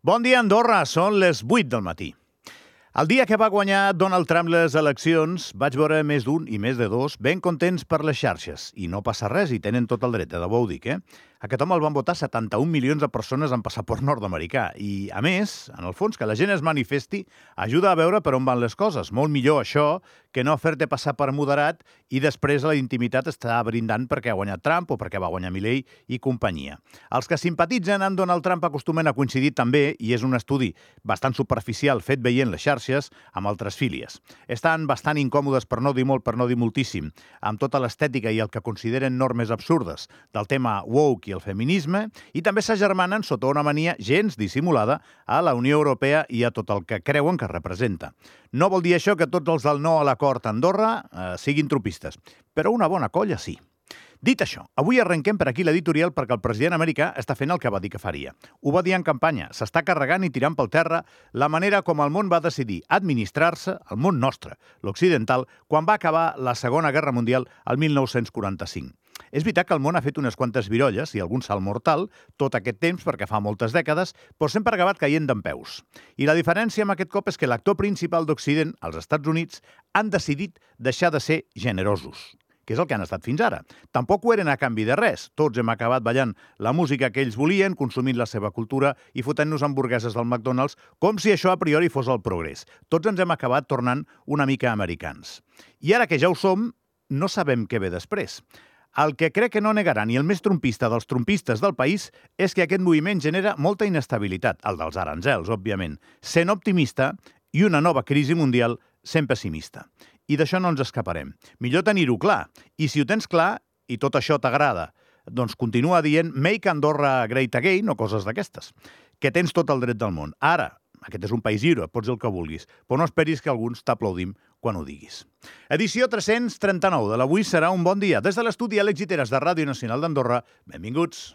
Bon dia, Andorra. Són les 8 del matí. El dia que va guanyar Donald Trump les eleccions, vaig veure més d'un i més de dos ben contents per les xarxes. I no passa res, i tenen tot el dret, de debò ho dic, Aquest home el van votar 71 milions de persones amb passaport nord-americà. I, a més, en el fons, que la gent es manifesti ajuda a veure per on van les coses. Molt millor això que no fer-te passar per moderat i després a la intimitat està brindant perquè ha guanyat Trump o perquè va guanyar Milei i companyia. Els que simpatitzen amb Donald Trump acostumen a coincidir també, i és un estudi bastant superficial fet veient les xarxes, amb altres fílies. Estan bastant incòmodes, per no dir molt, per no dir moltíssim, amb tota l'estètica i el que consideren normes absurdes del tema woke i el feminisme, i també s'agermanen sota una mania gens dissimulada a la Unió Europea i a tot el que creuen que representa. No vol dir això que tots els del no a l'acord a Andorra siguin tropistes, però una bona colla sí. Dit això, avui arrenquem per aquí l'editorial perquè el president americà està fent el que va dir que faria. Ho va dir en campanya, s'està carregant i tirant pel terra la manera com el món va decidir administrar-se, el món nostre, l'occidental, quan va acabar la Segona Guerra Mundial el 1945. És veritat que el món ha fet unes quantes virolles i algun salt mortal tot aquest temps, perquè fa moltes dècades, però sempre ha acabat caient dempeus. I la diferència amb aquest cop és que l'actor principal d'Occident, els Estats Units, han decidit deixar de ser generosos, que és el que han estat fins ara. Tampoc ho eren a canvi de res. Tots hem acabat ballant la música que ells volien, consumint la seva cultura i fotent-nos hamburgueses del McDonald's, com si això a priori fos el progrés. Tots ens hem acabat tornant una mica americans. I ara que ja ho som, no sabem què ve després. El que crec que no negarà ni el més trompista dels trompistes del país és que aquest moviment genera molta inestabilitat, el dels aranzels, òbviament, sent optimista i una nova crisi mundial sent pessimista. I d'això no ens escaparem. Millor tenir-ho clar. I si ho tens clar, i tot això t'agrada, doncs continua dient Make Andorra Great Again o coses d'aquestes, que tens tot el dret del món. Ara, aquest és un país lliure, pots dir el que vulguis, però no esperis que alguns t'aplaudim quan ho diguis. Edició 339 de l'Avui serà un bon dia. Des de l'estudi a l'Exiteres de Ràdio Nacional d'Andorra, benvinguts.